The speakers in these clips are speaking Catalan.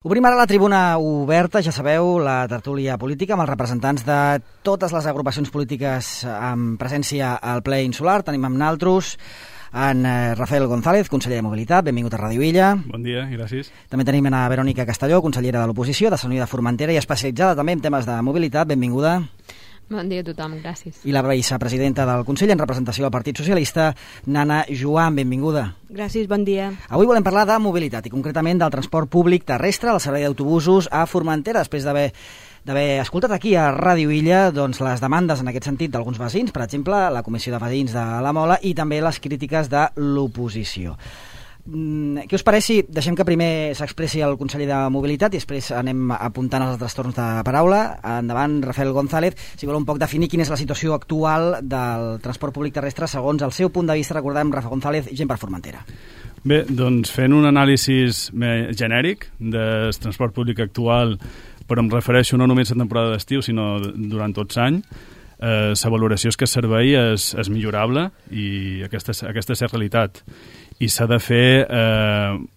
Obrim ara la tribuna oberta, ja sabeu, la tertúlia política amb els representants de totes les agrupacions polítiques amb presència al ple insular. Tenim amb naltros en Rafael González, conseller de Mobilitat, benvingut a Ràdio Illa. Bon dia i gràcies. També tenim a Verònica Castelló, consellera de l'oposició, de Sant Unió de Formentera i especialitzada també en temes de mobilitat, benvinguda. Bon dia a tothom, gràcies. I la vicepresidenta del Consell en representació del Partit Socialista, Nana Joan, benvinguda. Gràcies, bon dia. Avui volem parlar de mobilitat i concretament del transport públic terrestre, el servei d'autobusos a Formentera, després d'haver escoltat aquí a Ràdio Illa doncs, les demandes en aquest sentit d'alguns veïns, per exemple, la Comissió de Veïns de la Mola i també les crítiques de l'oposició. Què us pareix si deixem que primer s'expressi el conseller de Mobilitat i després anem apuntant els altres torns de paraula? Endavant, Rafael González, si vol un poc definir quina és la situació actual del transport públic terrestre segons el seu punt de vista, recordem, Rafa González, gent per Formentera. Bé, doncs fent un anàlisi genèric del transport públic actual, però em refereixo no només a temporada d'estiu, sinó durant tots l'any, la valoració és que el servei és millorable i aquesta és la realitat. I s'ha de fer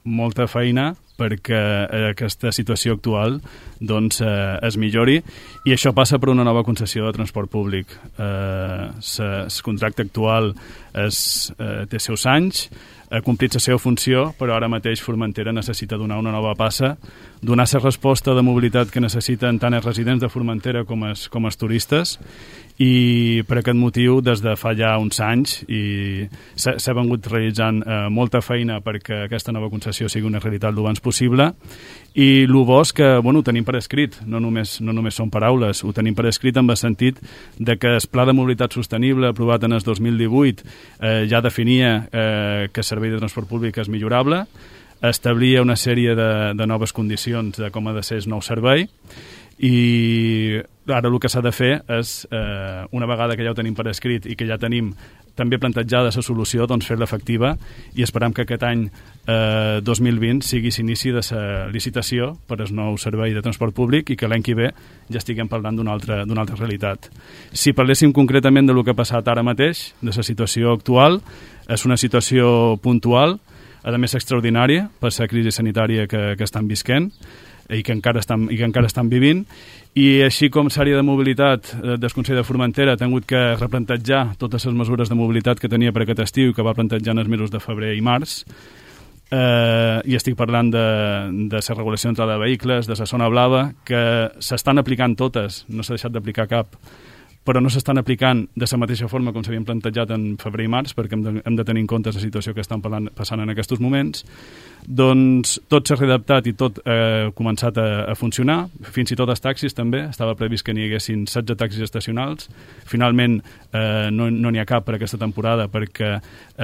molta feina perquè aquesta situació actual doncs, es millori, i això passa per una nova concessió de transport públic. El contracte actual té seus anys, ha complit la seva funció, però ara mateix Formentera necessita donar una nova passa, donar la resposta de mobilitat que necessiten tant els residents de Formentera com els turistes, i per aquest motiu des de fa ja uns anys s'ha vengut realitzant molta feina perquè aquesta nova concessió sigui una realitat l'abans possible, i el bo és que ho tenim per escrit, no només són paraules, ho tenim per escrit en el sentit de que el Pla de Mobilitat Sostenible aprovat en el 2018 ja definia que el servei de transport públic és millorable, establia una sèrie de noves condicions de com ha de ser el nou servei, i ara el que s'ha de fer és, una vegada que ja ho tenim per escrit i que ja tenim també plantejada la solució, doncs fer-la efectiva, i esperem que aquest any 2020 sigui l'inici de la licitació per al nou servei de transport públic i que l'any que ve ja estiguem parlant d'una altra realitat. Si parléssim concretament del que ha passat ara mateix, de la situació actual, és una situació puntual, a més extraordinària per la crisi sanitària que estan visquent i que encara estan vivint, i així com l'àrea de mobilitat del Consell de Formentera ha tingut que replantejar totes les mesures de mobilitat que tenia per aquest estiu i que va plantejar en els mesos de febrer i març, i estic parlant de la regulació d'entrada de vehicles, de la zona blava, que s'estan aplicant totes, no s'ha deixat d'aplicar cap, però no s'estan aplicant de la mateixa forma com s'havien plantejat en febrer i març, perquè hem de tenir en compte la situació que estan passant en aquests moments. Doncs tot s'ha readaptat i tot ha començat a funcionar, fins i tot els taxis també, estava previst que n'hi haguessin 16 taxis estacionals, finalment no n'hi ha cap per aquesta temporada perquè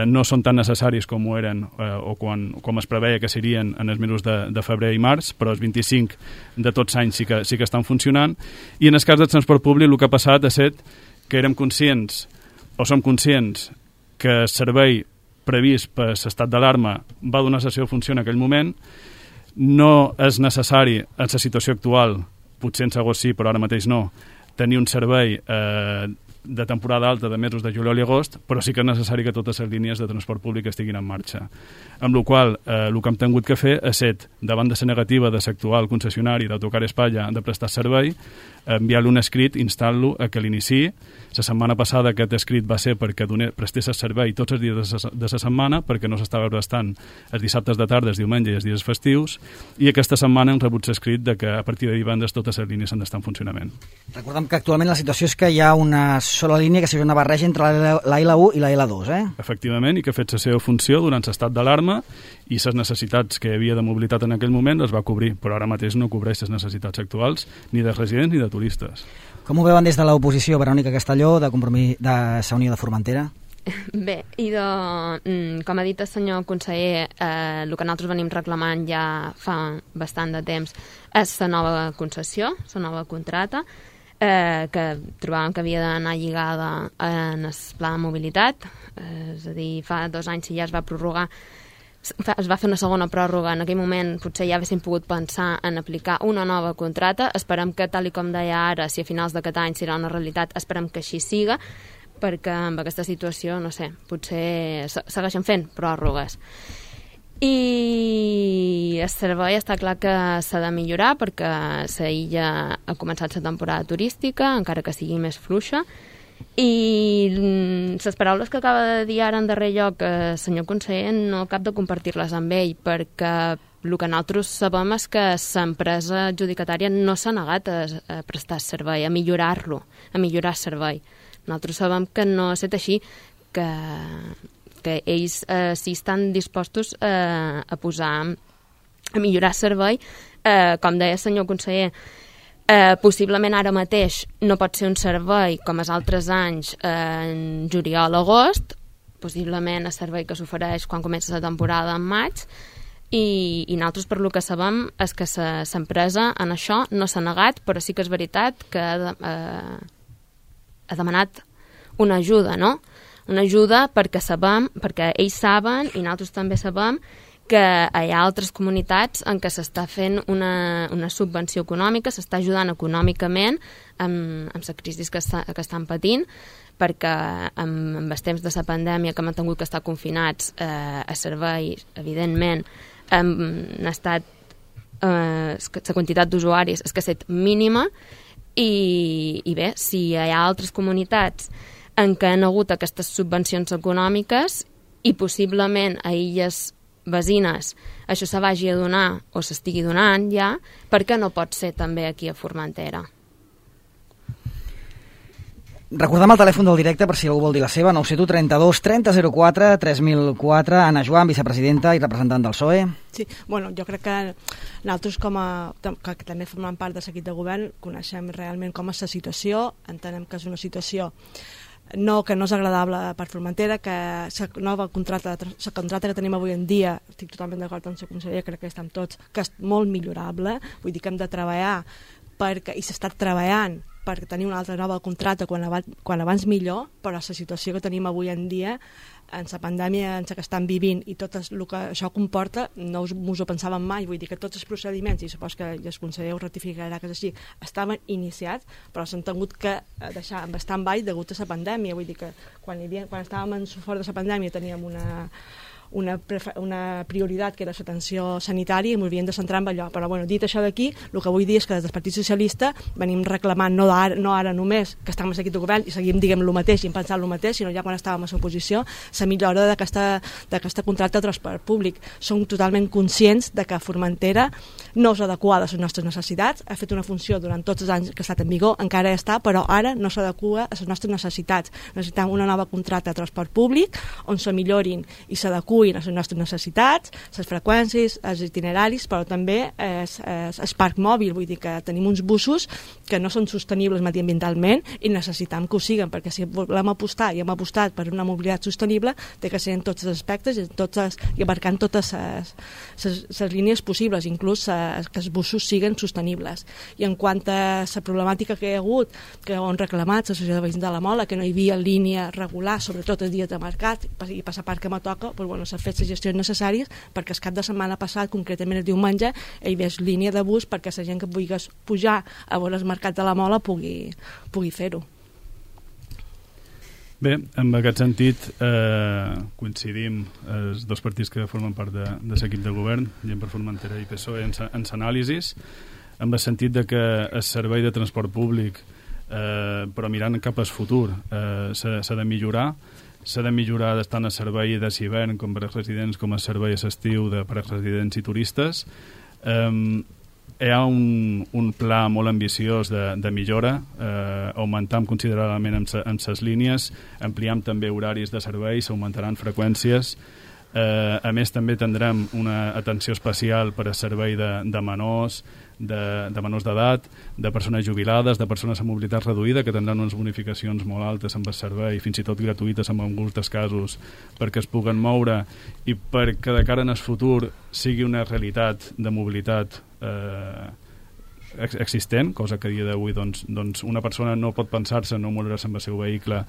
no són tan necessaris com ho eren o com es preveia que serien en els mesos de febrer i març, però els 25 de tots anys sí que estan funcionant. I en el cas del transport públic el que ha passat és que érem conscients, o som conscients, que el servei previst per l'estat d'alarma va donar la seva funció en aquell moment. No és necessari, en la situació actual, potser en segon sí, però ara mateix no, tenir un servei de temporada alta de mesos de juliol i agost, però sí que és necessari que totes les línies de transport públic estiguin en marxa. Amb la qual cosa, el que hem tingut que fer és ser, davant de la negativa de l'actual concessionari d'Autocar Espanya de prestar servei, enviar-li un escrit instant-lo a que l'iniciï. La setmana passada aquest escrit va ser perquè prestés el servei tots els dies de la setmana, perquè no s'estava prestant els dissabtes de tarda, els diumenges i els dies festius, i aquesta setmana hem rebut l'escrit de que a partir de divendres totes les línies han d'estar en funcionament. Recordem que actualment la situació és que hi ha una sola línia que seria una barreja entre la L1 i la L2, Efectivament, i que ha fet la seva funció durant l'estat d'alarma, i les necessitats que hi havia de mobilitat en aquell moment les va cobrir, però ara mateix no cobreix les necessitats actuals ni de residents ni de turistes. Com ho veuen des de l'oposició, Verònica Castelló, de la Unió de Formentera? Bé, com ha dit el senyor conseller, el que nosaltres venim reclamant ja fa bastant de temps és la nova concessió, la nova contrata, que trobàvem que havia d'anar lligada en el pla de mobilitat, és a dir, fa 2 anys si ja es va prorrogar, es va fer una segona pròrroga, en aquell moment potser ja haguéssim pogut pensar en aplicar una nova contrata. Esperem que, tal i com deia ara, si a finals d'aquest any serà una realitat, esperem que així siga, perquè amb aquesta situació, no sé, potser segueixen fent pròrrogues. I el servei està clar que s'ha de millorar perquè la illa ha començat la temporada turística, encara que sigui més fluixa, i les paraules que acaba de dir ara en darrer lloc el senyor conseller no cap de compartir-les amb ell, perquè el que nosaltres sabem és que l'empresa adjudicatària no s'ha negat a prestar servei, a millorar-lo, a millorar el servei. Nosaltres sabem que no ha estat així, que ells sí estan dispostos a posar, a millorar el servei. Com deia el senyor conseller, possiblement ara mateix no pot ser un servei com els altres anys en juliol o agost, possiblement el servei que s'ofereix quan comença la temporada en maig, i nosaltres per lo que sabem és que l'empresa en això no s'ha negat, però sí que és veritat que ha demanat una ajuda, no? Una ajuda perquè ells saben i nosaltres també sabem que hi ha altres comunitats en què s'està fent una subvenció econòmica, s'està ajudant econòmicament amb la crisi que estan patint, perquè amb els temps de la pandèmia que hem tingut que estar confinats a serveis, evidentment, han estat la quantitat d'usuaris és que ha estat mínima, i bé, si hi ha altres comunitats en què han hagut aquestes subvencions econòmiques i possiblement a illes vecines això se vagi a donar o s'estigui donant ja, per què no pot ser també aquí a Formentera? Recordem el telèfon del directe per si algú vol dir la seva, 971 32 3004 3004. Anna Joan, vicepresidenta i representant del PSOE. Sí, bueno, jo crec que nosaltres que també formem part de l'equip de govern coneixem realment com és la situació, entenem que és una situació que no és agradable per Formentera, que la nova contracta que tenim avui en dia, estic totalment d'acord amb la consellera, crec que estem tots, que és molt millorable, vull dir que hem de treballar i s'està treballant per tenir una altra nova contracta quan abans millor, però la situació que tenim avui en dia, en la pandèmia en la que estan vivint i tot el que això comporta, no us ho pensàvem mai, vull dir que tots els procediments, i supos que el conseller ho ratificarà que és així, estaven iniciats, però s'han tingut que deixar en stand-by degut a la pandèmia, vull dir que quan estàvem fora de la pandèmia teníem una prioritat que era l'atenció sanitària i ens havíem de centrar en allò, però bueno, dit això d'aquí, el que vull dir és que des del Partit Socialista venim reclamant, no ara només que estem aquí de govern i seguim diguem el mateix i pensant el mateix, sinó ja quan estàvem a l'oposició, la millora d'aquesta contracta de transport públic. Som totalment conscients de que Formentera no és adequada a les nostres necessitats, ha fet una funció durant tots els anys que ha estat en vigor, encara està, però ara no s'adequa a les nostres necessitats. Necessitem una nova contracta de transport públic on se millorin i s'adequen a les nostres necessitats, les freqüències, els itineraris, però també el parc mòbil, vull dir que tenim uns busos que no són sostenibles mediambientalment i necessitem que ho siguen, perquè si volem apostar i hem apostat per una mobilitat sostenible, té que ser en tots els aspectes i abarcant totes les línies possibles, inclús que els busos siguen sostenibles. I en quant a la problemàtica que hi ha hagut, que ho han reclamat l'associació de veïns de la Mola, que no hi havia línia regular, sobretot els dies de mercat, i per la part que me toca, doncs bueno, s'ha fet les gestions necessàries perquè el cap de setmana passat, concretament el diumenge, hi havia línia de bus perquè la gent que vulgués pujar a veure el mercat de la Mola pugui fer-ho. Bé, en aquest sentit coincidim els dos partits que formen part de l'equip de govern, Gent per Formentera i PSOE, en l'anàlisis, en el sentit de que el servei de transport públic, però mirant cap al futur, s'ha de millorar, tant el servei de l'hivern com per als residents com el servei a l'estiu per als residents i turistes. Hi ha un pla molt ambiciós de millora, augmentam considerablement en les línies, ampliam també horaris de serveis, s'augmentaran freqüències. A més, també tindrem una atenció especial per al servei de menors, de menors d'edat, de persones jubilades, de persones amb mobilitat reduïda, que tindran unes bonificacions molt altes amb el servei, fins i tot gratuïtes en alguns dels casos, perquè es puguen moure i perquè de cara en el futur sigui una realitat de mobilitat existent, cosa que a dia d'avui doncs una persona no pot pensar-se no moure's amb el seu vehicle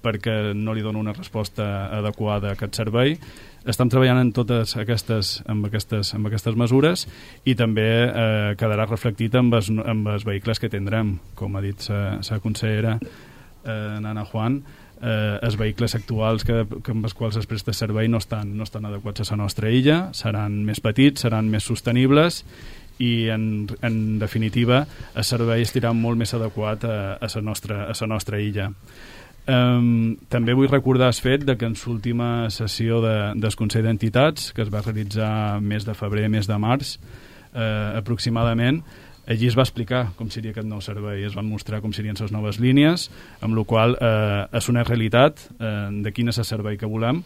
perquè no li dona una resposta adequada a aquest servei. Estem treballant en totes aquestes mesures i també quedarà reflectit amb els vehicles que tindrem, com ha dit la consellera Anna Joan. els vehicles actuals amb els quals es presta servei no estan adequats a la nostra illa, seran més petits, seran més sostenibles i en definitiva el servei estarà molt més adequat a la nostra illa. També vull recordar el fet que en l'última sessió del Consell d'Entitats, que es va realitzar mes de febrer, mes de març aproximadament, allí es va explicar com seria aquest nou servei, es van mostrar com serien les noves línies, amb la qual és una realitat de quin és el servei que volem,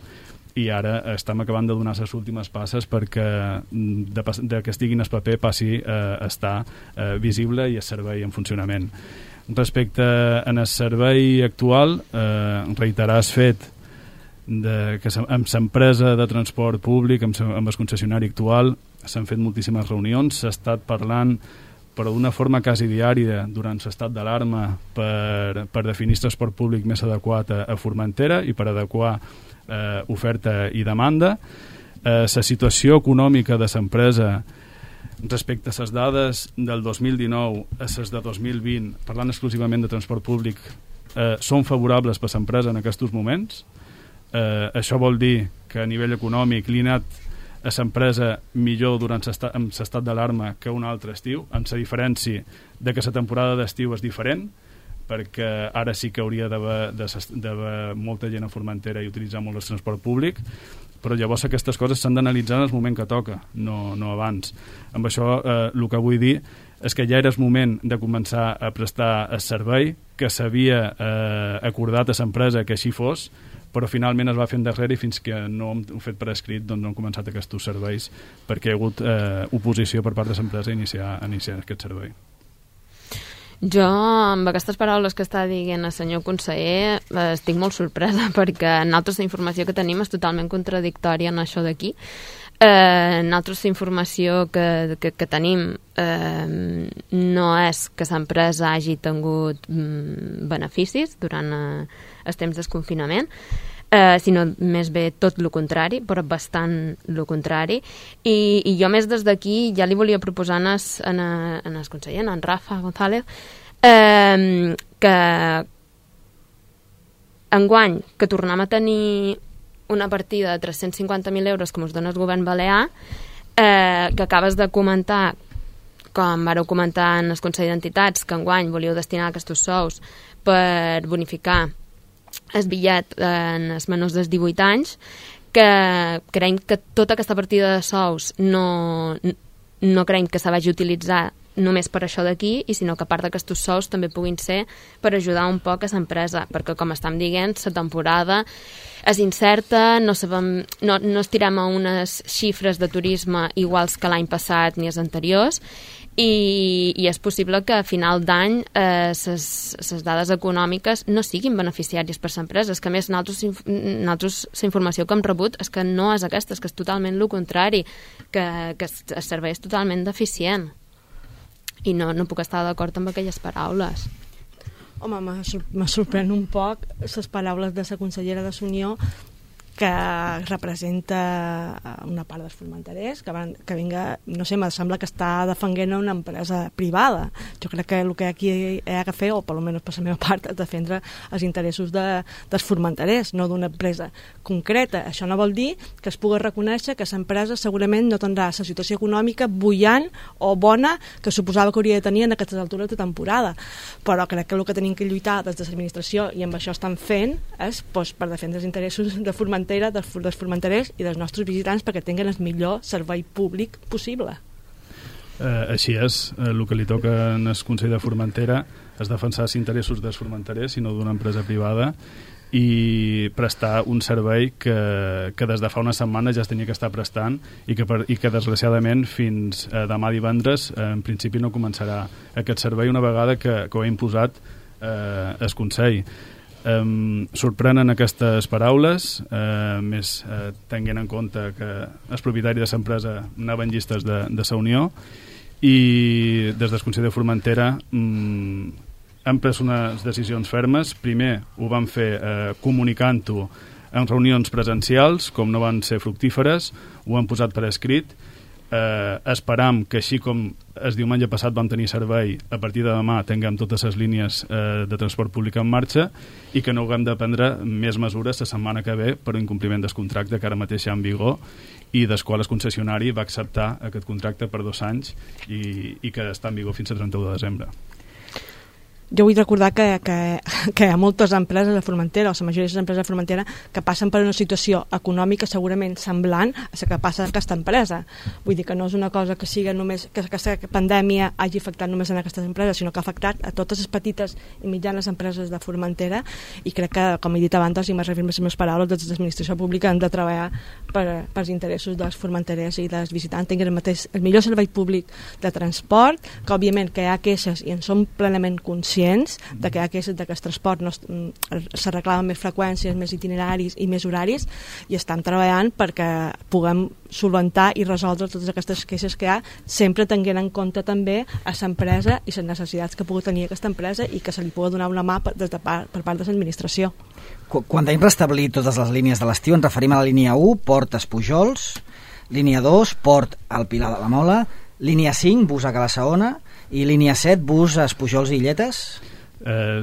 i ara estem acabant de donar les últimes passes perquè de que estigui en el paper passi a estar visible i el servei en funcionament. Respecte al servei actual, reiterar el fet que amb l'empresa de transport públic, amb el concessionari actual, s'han fet moltíssimes reunions, s'ha estat parlant però d'una forma quasi diària durant l'estat d'alarma per definir el transport públic més adequat a Formentera i per adequar oferta i demanda. La situació econòmica de l'empresa respecte a les dades del 2019 a les de 2020, parlant exclusivament de transport públic, són favorables per l'empresa en aquests moments. Això vol dir que a nivell econòmic li ha anat a l'empresa millor durant l'estat d'alarma que un altre estiu, amb la diferència de que la temporada d'estiu és diferent, perquè ara sí que hauria d'haver molta gent a Formentera i utilitzar molt el transport públic, però llavors aquestes coses s'han d'analitzar en el moment que toca, no abans. Amb això el que vull dir és que ja era el moment de començar a prestar el servei, que s'havia acordat a l'empresa que així fos, però finalment es va fer endarrere i fins que no hem fet per escrit doncs no han començat aquests serveis perquè hi ha hagut oposició per part de l'empresa a iniciar aquest servei. Jo, amb aquestes paraules que està dient el senyor conseller, estic molt sorpresa perquè nosaltres la informació que tenim és totalment contradictòria en això d'aquí. Nosaltres la informació que tenim no és que l'empresa hagi tingut beneficis durant el temps del confinament, sinó més bé tot el contrari, però bastant el contrari, i jo més des d'aquí ja li volia proposar en el conseller, en Rafa González, que enguany que tornem a tenir una partida de 350.000 euros com us dona el govern balear, que acabes de comentar, com vareu comentar en el Consell d'Entitats, que enguany volíeu destinar aquests sous per bonificar el bitllet en els menors dels 18 anys, que creiem que tota aquesta partida de sous no creiem que s'ha vagi utilitzar només per això d'aquí, i sinó que a part d'aquests sous també puguin ser per ajudar un poc a l'empresa, perquè com estem dient, la temporada és incerta, no estirem a unes xifres de turisme iguals que l'any passat ni els anteriors, i és possible que a final d'any les dades econòmiques no siguin beneficiàries per les empreses, que a més nosaltres la informació que hem rebut és que no és aquesta, és que és totalment el contrari, que el servei és totalment deficient, i no puc estar d'acord amb aquelles paraules. Home, me sorprèn un poc les paraules de la consellera de l'Unió, que representa una part dels formenterers, que vinga, no sé, me sembla que està defendent una empresa privada. Jo crec que el que aquí hi ha que fer, o per almenys per la meva part, és defendre els interessos dels formenterers, no d'una empresa concreta. Això no vol dir que es pugui reconèixer que l'empresa segurament no tindrà la situació econòmica bullant o bona que suposava que hauria de tenir en aquestes altures de temporada. Però crec que el que tenim que lluitar des de l'administració, i amb això estan fent, és per defendre els interessos de Formentera, dels formenterers i dels nostres visitants, perquè tinguin el millor servei públic possible. Així és, el que li toca en el Consell de Formentera és defensar els interessos dels formenterers i no d'una empresa privada, i prestar un servei que des de fa una setmana ja es tenia que estar prestant i que desgraciadament fins demà divendres en principi no començarà aquest servei una vegada que ho ha imposat el Consell. Sorprenen aquestes paraules, més tenint en compte que els propietaris de l'empresa anaven llistes de la Unió, i des del Consell de Formentera han pres unes decisions fermes. Primer ho van fer comunicant-ho en reunions presencials, com no van ser fructíferes, ho han posat per escrit, esperam que així com el diumenge passat vam tenir servei, a partir de demà tinguem totes les línies de transport públic en marxa i que no haguem de prendre més mesures la setmana que ve per incompliment del contracte que ara mateix hi ha en vigor i del qual el concessionari va acceptar aquest contracte per 2 anys i que està en vigor fins al 31 de desembre. Jo vull recordar que hi ha moltes empreses de Formentera, o la majoria de les empreses de Formentera, que passen per una situació econòmica segurament semblant a la que passa aquesta empresa. Vull dir que no és una cosa que sigui només que aquesta pandèmia hagi afectat només en aquestes empreses, sinó que ha afectat a totes les petites i mitjanes empreses de Formentera, i crec que, com he dit abans, i m'he referit les meves paraules, des de l'administració pública han de treballar pels interessos dels formenterers i dels visitants, tinguin el millor servei públic de transport, que òbviament que hi ha queixes i en som plenament conscients de que hi ha queixes de que el transport se reclamen més freqüències, més itineraris i més horaris, i estem treballant perquè puguem solventar i resoldre totes aquestes queixes que hi ha, sempre tenint en compte també a l'empresa i les necessitats que pugui tenir aquesta empresa i que se li pugui donar una mà per part de l'administració. Quan tenim restablir totes les línies de l'estiu ens referim a la línia 1, Port Espujols, línia 2, Port al Pilar de la Mola, línia 5, bus a Cala-saona, i línia 7, bus a Espujols i Illetes?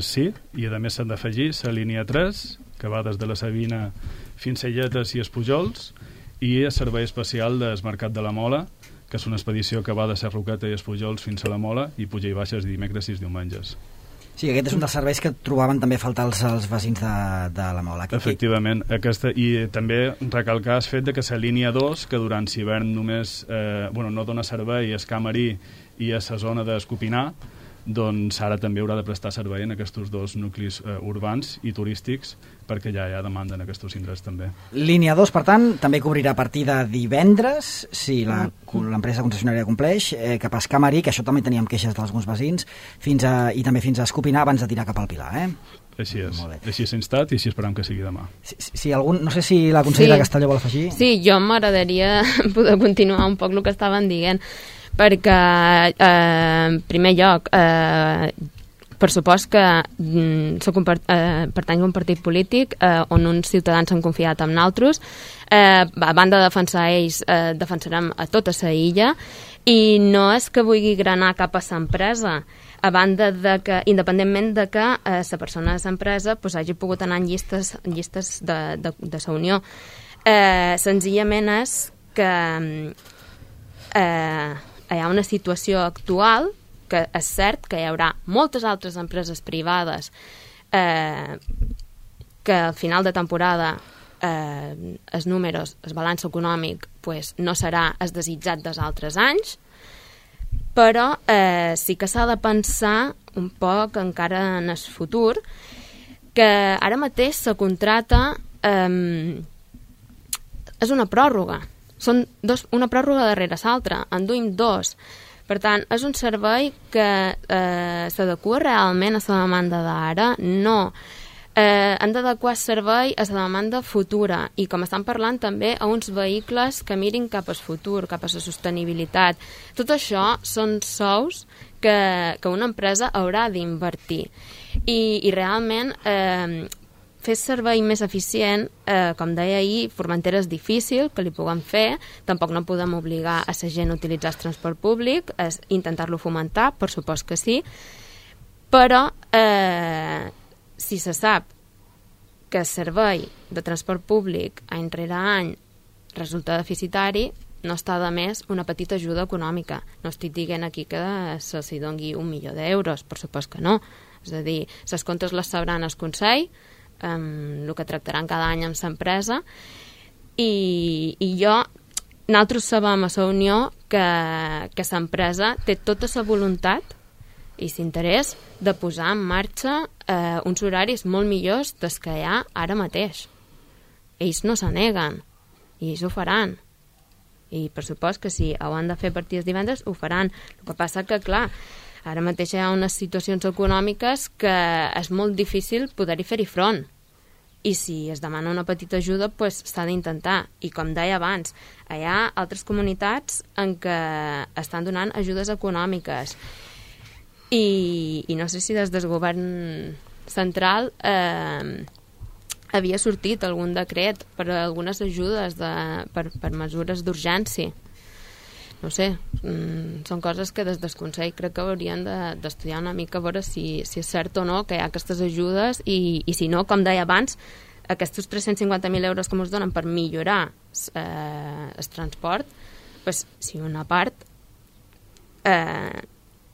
Sí, i a més s'han d'afegir la línia 3, que va des de la Sabina fins a Illetes i Espujols, i el servei especial del Mercat de la Mola, que és una expedició que va de Sarroqueta i Espujols fins a la Mola i puja i baixes dimecres i diumenges. Sí, aquest és un dels serveis que trobaven també faltar els veïns de la Mola. Efectivament, i també recalcar el fet de que la línia 2, que durant l'hivern només no dona servei a Escamarí i a la zona d'Escopinar, doncs ara també haurà de prestar servei en aquests 2 nuclis urbans i turístics, perquè ja hi ha demanda en aquests indrets també. Línia 2, per tant, també cobrirà a partir de divendres, si l'empresa concessionària compleix, cap a Escamarí, que això també teníem queixes d'alguns veïns, i també fins a Escopinar abans de tirar cap al Pilar, Així és, així s'ha instat i així esperam que sigui demà. No sé si la consellera Castelló vol afegir. Sí, jo m'agradaria poder continuar un poc el que estaven dient, perquè en primer lloc per supost que pertany a un partit polític on uns ciutadans han confiat en nosaltres, a banda de defensar ells defensarem a tota la illa, i no és que vulgui granar cap a l'empresa, a banda de que, independentment de que la persona de l'empresa hagi pogut anar en llistes de la Unió, senzillament és que hi ha una situació actual que és cert que hi haurà moltes altres empreses privades que al final de temporada els números, el balanç econòmic no serà el desitjat dels altres anys, però sí que s'ha de pensar un poc encara en el futur, que ara mateix la contrata és una pròrroga. Són una pròrroga darrere l'altra, en duim 2. Per tant, és un servei que s'adequa realment a la demanda d'ara? No. Han d'adequar el servei a la demanda futura i, com estan parlant, també a uns vehicles que mirin cap al futur, cap a la sostenibilitat. Tot això són sous que una empresa haurà d'invertir. I realment fer servei més eficient, com deia ahir, Formentera és difícil que li puguem fer, tampoc no podem obligar a la gent a utilitzar el transport públic, és intentar-lo fomentar, per supost que sí, però si se sap que el servei de transport públic any rere any resulta deficitari, no està de més una petita ajuda econòmica. No estic dient aquí que se'ls doni 1 milió d'euros, per supost que no. És a dir, les comptes les sabran el Consell, el que tractaran cada any amb l'empresa, i nosaltres sabem a la Unió que l'empresa té tota la voluntat i l'interès de posar en marxa uns horaris molt millors dels que hi ha ara mateix. Ells no se neguen i ells ho faran, i per supost que si ho han de fer a partir dels divendres ho faran. El que passa que, clar, ara mateix hi ha unes situacions econòmiques que és molt difícil poder-hi fer-hi front, i si es demana una petita ajuda s'ha d'intentar. I com deia abans, hi ha altres comunitats en què estan donant ajudes econòmiques, i no sé si des del govern central havia sortit algun decret per a algunes ajudes per mesures d'urgència. no sé, són coses que des del Consell crec que haurien d'estudiar una mica a veure si és cert o no que hi ha aquestes ajudes i si no, com deia abans, aquests 350.000 euros que ens donen per millorar el transport, pues, si una part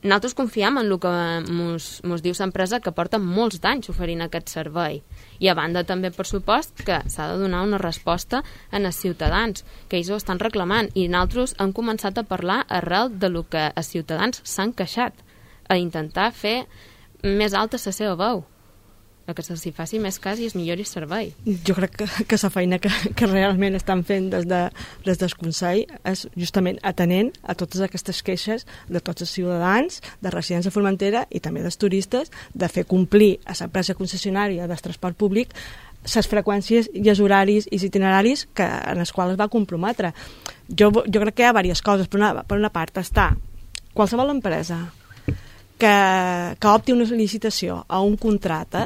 nosaltres confiem en el que ens diu l'empresa, que porta molts d'anys oferint aquest servei, i a banda també, per supost, que s'ha de donar una resposta als ciutadans, que ells ho estan reclamant, i nosaltres hem començat a parlar arrel de lo que els ciutadans s'han queixat, a intentar fer més alta la seva veu, que se'ls faci més cas i es millori el servei. Jo crec que la feina que realment estan fent des del Consell és justament atenent a totes aquestes queixes de tots els ciutadans, de residents de Formentera i també dels turistes, de fer complir a l'empresa concessionària del transport públic les freqüències i els horaris i els itineraris en els quals es va comprometre. Jo crec que hi ha diverses coses. Per una part està qualsevol empresa que opti una licitació a un contracte,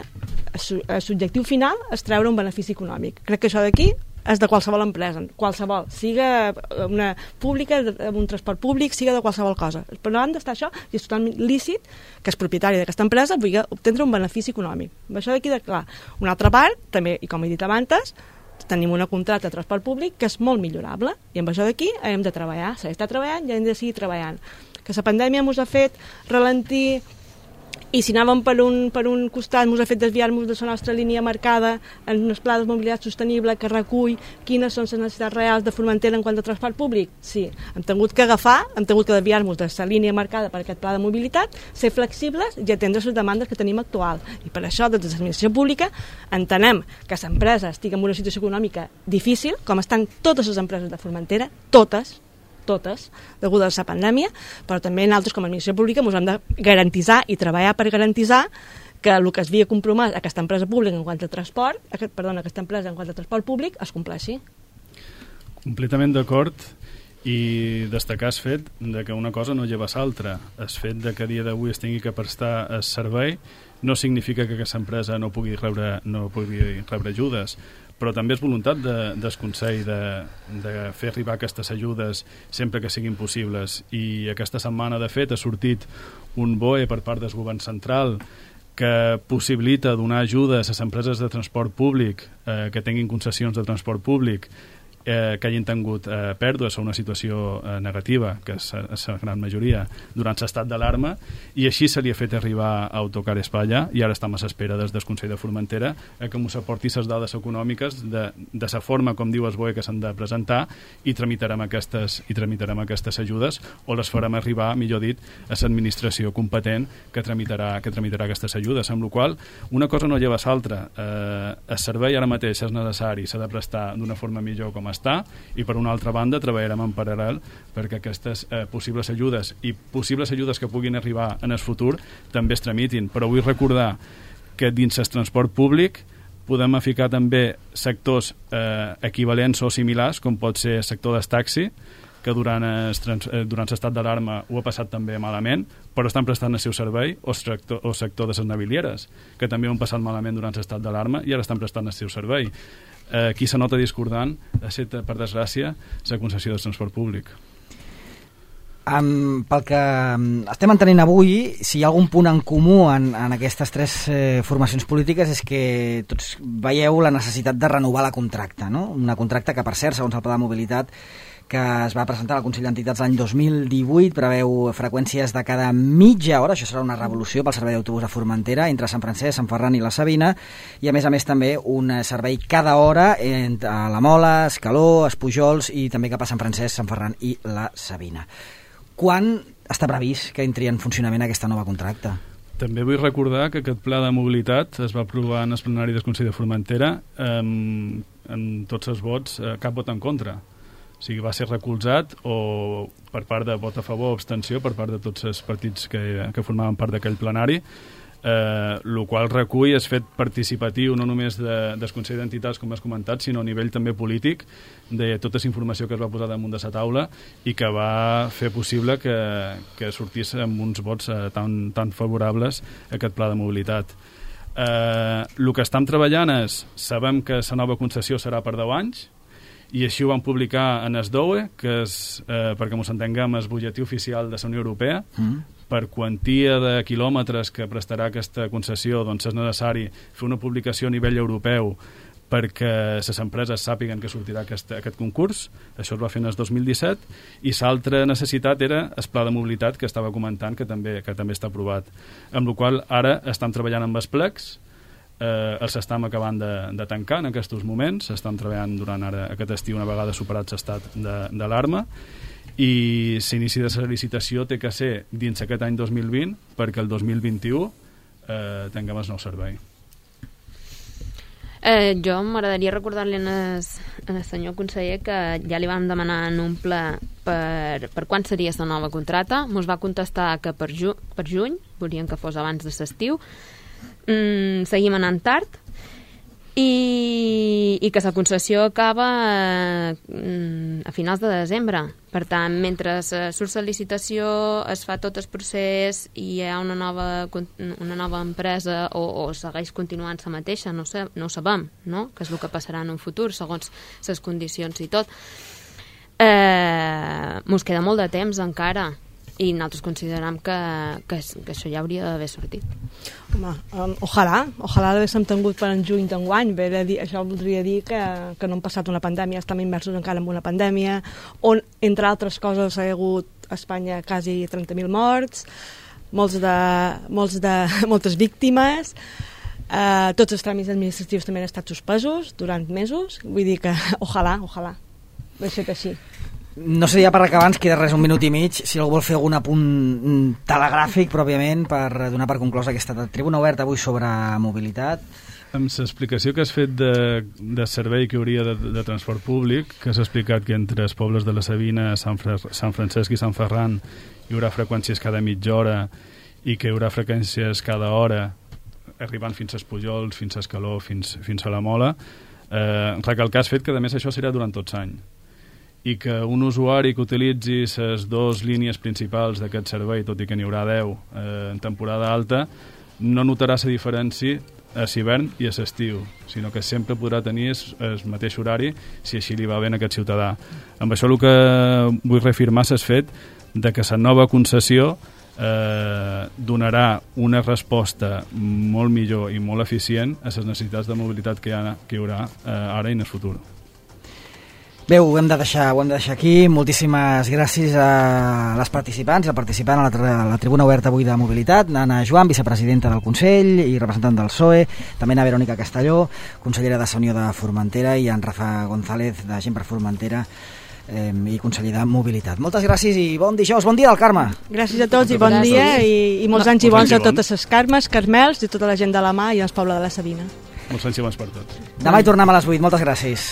el subjectiu final és treure un benefici econòmic. Crec que això d'aquí és de qualsevol empresa, qualsevol, siga una pública, un transport públic, siga de qualsevol cosa. Per davant d'estar això, i és totalment lícit que el propietari d'aquesta empresa pugui obtenir un benefici econòmic. Això d'aquí de clar. Una altra part, també, i com he dit abans, tenim una contracte de transport públic que és molt millorable, i amb això d'aquí hem de treballar, s'està treballant i hem de seguir treballant. Que la pandèmia ens ha fet ralentir, i si anàvem per un costat ens ha fet desviar-nos de la nostra línia marcada en un pla de mobilitat sostenible que recull quines són les necessitats reals de Formentera en quant a transport públic. Sí, hem tingut que desviar-nos de la línia marcada per aquest pla de mobilitat, ser flexibles i atendre les demandes que tenim actuals. I per això, des de l'administració pública, entenem que l'empresa estigui en una situació econòmica difícil, com estan totes les empreses de Formentera, totes, degudes a la pandèmia, però també nosaltres com a administració pública ens hem de garantitzar i treballar per garantitzar que el que es havia compromès aquesta empresa pública en quant a transport, aquesta empresa en quant a transport públic es compleixi. Completament d'acord, i destacar el fet de que una cosa no lleva l'altra. El fet de que a dia d'avui es tingui que prestar el servei no significa que aquesta empresa no pugui rebre ajudes, però també és voluntat del Consell de fer arribar aquestes ajudes sempre que siguin possibles. I aquesta setmana, de fet, ha sortit un BOE per part del govern central que possibilita donar ajudes a les empreses de transport públic que tinguin concessions de transport públic que hagin tingut pèrdues o una situació negativa, que és la gran majoria, durant l'estat d'alarma, i així se li ha fet arribar a Autocar Espanya, i ara estem a l'espera des del Consell de Formentera que ens aporti les dades econòmiques de la forma, com diu el BOE, que s'han de presentar, i tramitarem aquestes ajudes, o les farem arribar, millor dit, a l'administració competent que tramitarà aquestes ajudes, amb la qual una cosa no lleva l'altra. El servei ara mateix és necessari, s'ha de prestar d'una forma millor com està, i per una altra banda treballarem en paral·lel perquè aquestes possibles ajudes i possibles ajudes que puguin arribar en el futur també es tramitin. Però vull recordar que dins el transport públic podem ficar també sectors equivalents o similars, com pot ser el sector del taxi, que durant l'estat d'alarma ho ha passat també malament, però estan prestant el seu servei, o sector de les navilieres, que també ho han passat malament durant l'estat d'alarma i ara estan prestant el seu servei. Qui se nota discordant ha estat, per desgràcia, la concessió del transport públic. Pel que estem entenent avui, si hi ha algun punt en comú en aquestes tres formacions polítiques és que tots veieu la necessitat de renovar la contracta, no? Una contracta que, per cert, segons el Pla de Mobilitat que es va presentar al Consell d'Entitats l'any 2018, preveu freqüències de cada mitja hora, això serà una revolució pel servei d'autobús a Formentera, entre Sant Francesc, Sant Ferran i la Sabina, i a més també un servei cada hora a la Mola, Escaló, Espujols i també cap a Sant Francesc, Sant Ferran i la Sabina. Quan està previst que entri en funcionament aquesta nova contracta? També vull recordar que aquest pla de mobilitat es va aprovar en el plenari del Consell de Formentera en tots els vots, cap vot en contra. O sigui, va ser recolzat o per part de vot a favor o abstenció per part de tots els partits que formaven part d'aquell plenari, el qual recull el fet participatiu no només del Consell d'Entitats, com has comentat, sinó a nivell també polític de tota la informació que es va posar damunt de la taula i que va fer possible que sortís amb uns vots tan favorables a aquest pla de mobilitat. El que estem treballant és, sabem que la nova concessió serà per 10 anys, i així ho van publicar en SDOE, que és, perquè ens entenguem, el butlletí oficial de la Unió Europea. Per quantia de quilòmetres que prestarà aquesta concessió, doncs és necessari fer una publicació a nivell europeu perquè les empreses sàpiguen que sortirà aquest concurs. Això es va fer en el 2017, i l'altra necessitat era el pla de mobilitat que estava comentant, que també està aprovat. Amb la qual ara estem treballant amb els plecs, els estem acabant de tancar en aquests moments, estem treballant durant ara aquest estiu una vegada superat l'estat d'alarma, i l'inici de la licitació té que ser dins aquest any 2020 perquè el 2021 tinguem el nou servei. Jo m'agradaria recordar-li al senyor conseller que ja li vam demanar en un ple per quan seria la nova contracta. Mos va contestar que per juny, volien que fos abans de l'estiu. Seguim anant tard i que la concessió acaba a finals de desembre. Per tant, mentre surt la licitació, es fa tot el procés i hi ha una nova empresa o segueix continuant la mateixa, no ho sabem, no? Que és el que passarà en un futur, segons les condicions i tot. Mos queda molt de temps encara, i nosaltres considerem que això ja hauria d'haver sortit. Home, ojalà l'haguéssim tingut per en juny d'enguany. Això voldria dir que no hem passat una pandèmia, estem immersos encara en una pandèmia, on, entre altres coses, hi ha hagut a Espanya quasi 30.000 morts, moltes víctimes, tots els tràmits administratius també han estat suspesos durant mesos. Vull dir que ojalà de ser així. No sé, ja per acabar, ens queda res, un minut i mig, si algú vol fer algun apunt telegràfic, pròpiament, per donar per conclosa aquesta tribuna oberta avui sobre mobilitat. Amb l'explicació que has fet de servei que hauria de transport públic, que has explicat que entre els pobles de la Sabina, Sant Francesc i Sant Ferran hi haurà freqüències cada mitja hora i que hi haurà freqüències cada hora, arribant fins als Pujols, fins a Escaló, fins a la Mola, recalcar has fet que a més això serà durant tots l'any, i que un usuari que utilitzi les dues línies principals d'aquest servei, tot i que n'hi haurà 10 en temporada alta, no notarà la diferència a l'hivern i a l'estiu, sinó que sempre podrà tenir el mateix horari si així li va bé a aquest ciutadà. Amb això el que vull reafirmar és el fet de que la nova concessió donarà una resposta molt millor i molt eficient a les necessitats de mobilitat que hi haurà ara i en el futur. Bé, ho hem de deixar aquí. Moltíssimes gràcies a les participants i al participant a la tribuna oberta avui de mobilitat, Anna Joan, vicepresidenta del Consell i representant del PSOE, també a Verònica Castelló, consellera de la Unió de Formentera, i en Rafa González, de Gent per Formentera i conseller de Mobilitat. Moltes gràcies i bon dijous, bon dia del Carme. Gràcies a tots i bon dia, i molts anys i bons a totes les Carmes, Carmels i tota la gent de la Mà i el poble de la Sabina. Molts anys i bons per tots. Demà hi tornem a les 8. Moltes gràcies.